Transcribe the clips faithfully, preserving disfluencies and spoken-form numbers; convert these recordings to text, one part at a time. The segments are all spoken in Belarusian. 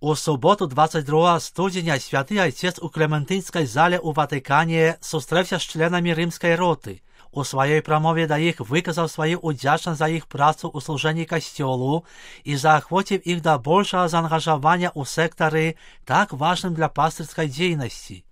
У суботу двадцять другого студеня святий отець у Клементинській залі у Ватикані зустрівся з членами римської роти. У своїй промові до їх виказав свою удячність за їх працю у служенні костьолу і заохотив їх до більшого заангажування у секторі, так важним для пастирської діяльності.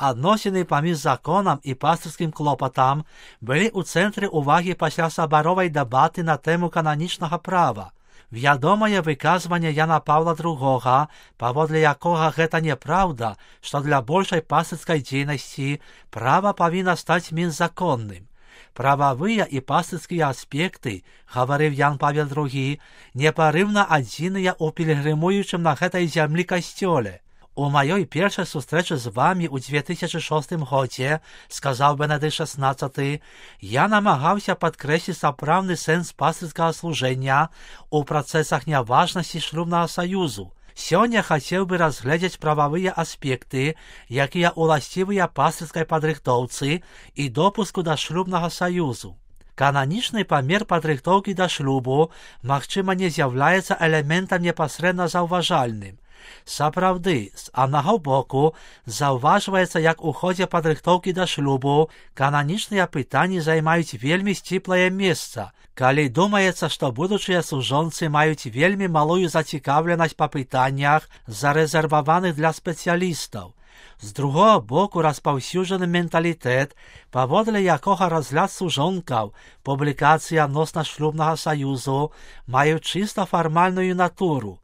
Односини поміж законом і пастирським клопотом були у центрі уваги після соборової дебати на тему канонічного права. Відомое виказування Яна Павла другого, поводле якого гэта неправда, що для більшої пастирської діяльності право повинно стати мінзаконним. Правовые и пастырские аспекты, говорив Ян Павел другий, непорывно одзіныя у пілігримуючым на гэтай зямлі касцёле. У маёй першай сустрэчы з вами у две тысячи шостым годзе, сказаў Бенедыкт шестнадцаты, я намагаўся падкрэсліць сапраўдны сэнс пастырскага служэння у працэсах няважнасці шлюбнага саюзу. Сёння хацеў бы разгледзець прававыя аспекты, якія ўласцівыя пастырскай падрыхтоўцы і допуску да шлюбнага саюзу. Кананічны памер падрыхтоўкі да шлюбу, магчыма, не з'яўляецца элементам непасрэдна заўважальным. Сапраўды, з аднаго боку, заўважваецца, як у ходзе падрыхтоўкі да шлюбу кананічныя пытанні займаюць вельмі сціплае месца, калі думаецца, што будучыя сужонцы маюць вельмі малую зацікаўленасць па пытаннях, зарэзерваваных для спецыялістаў. З другого боку, распаўсюджаны менталітэт, паводле якога разгляд сужонкаў, публікацыі адносна шлюбнага саюзу маюць чыста фармальную натуру.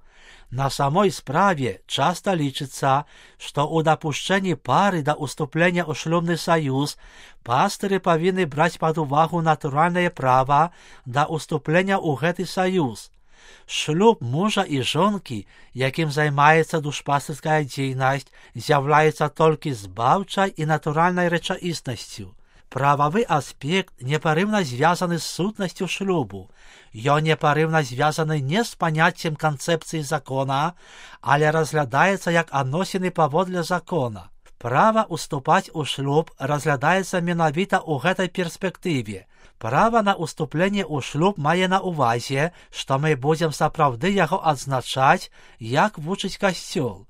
На самой справе часто лічыцца, што ў дапушчэнні пары да ўступлення ў шлюбны саюз пастыры павінны браць пад увагу натуральнае права да ўступлення ў гэты саюз. Шлюб мужа і жонкі, якім займаецца душпастырская дзейнасць, з'яўляецца толькі збаўчай і натуральнай рэчаіснасцю. Прававы аспект непарыўна звязаны з сутнасцю шлюбу. Ён непарыўна звязаны не з паняццем канцэпцыі закона, але разглядаецца як адносіны паводле закона. Права ўступаць у шлюб разглядаецца менавіта ў гэтай перспектыве. Права на ўступленне ў шлюб мае на ўвазе, што мы будзем сапраўды яго адзначаць, як вучыць касцёл.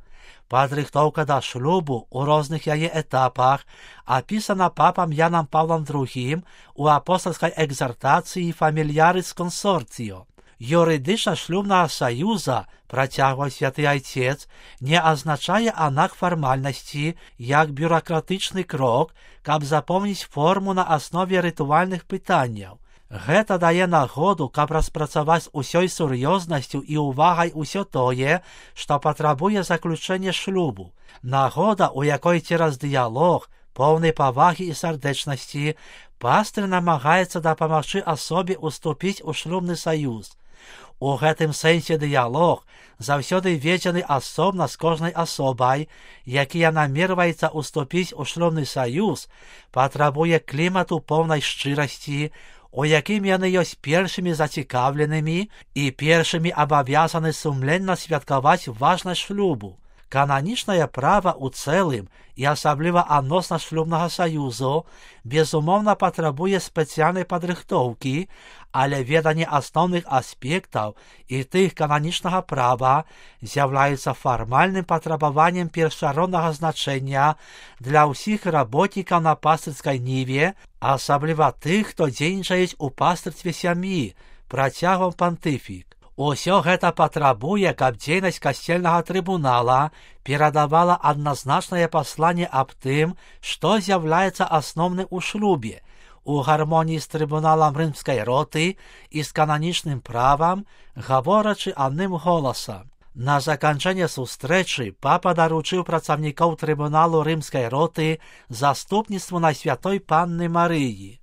Падрыхтоўка да шлюбу ў розных яе этапах апісана папам Янам Павлом другім у апостольскай экзартацыі «Фамільярис консорціо». Юридична шлюбнага саюза, працягваў святы айцец, не азначае аднак фармальнасці як бюракратычны крок, каб запомніць форму на аснове рытуальных пытанняў. Гэта дае нагоду, каб распрацаваць усёй сур'ёзнасцю і ўвагай усё тое, што патрабуе заключэнне шлюбу. Нагода, у якой цераз дыялог, поўнай павагі і сардэчнасці, пастыр намагаецца дапамагчы асобе ўступіць у шлюбны саюз. У гэтым сэнсе дыялог заўсёды ведзены асобна з кожнай асобай, якія намерваецца ўступіць у шлюбны саюз, патрабуе клімату поўнай шчырасці, у якім яны ёсць першымі зацікаўленымі і першымі абавязаны сумленна святкаваць важнасць шлюбу. Кананічнае права ў цэлым і асабліва адносна шлюбнага саюзу безумоўна патрабуе спецыяльнай падрыхтоўкі, але веданне асноўных аспектаў і тых кананічнага права з'яўляецца фармальным патрабаваннем першароднага значэння для ўсіх работнікаў на пастырскай ніве, асабліва тых, хто дзейнічаюць у пастырстве сям'і, працягваў пантыфік. Усё гэта патрабуе, каб дзейнасць касцельнага трыбунала перадавала адназначнае пасланне аб тым, што з'яўляецца асноўным у шлюбе, у гармоніі з трыбуналам рымскай роты і з кананічным правам, гаворачы адным голасам. На заканчэнне сустрэчы папа даручыў працаўнікоў трыбуналу рымскай роты заступніцтву Найсвятой Панны Марыі.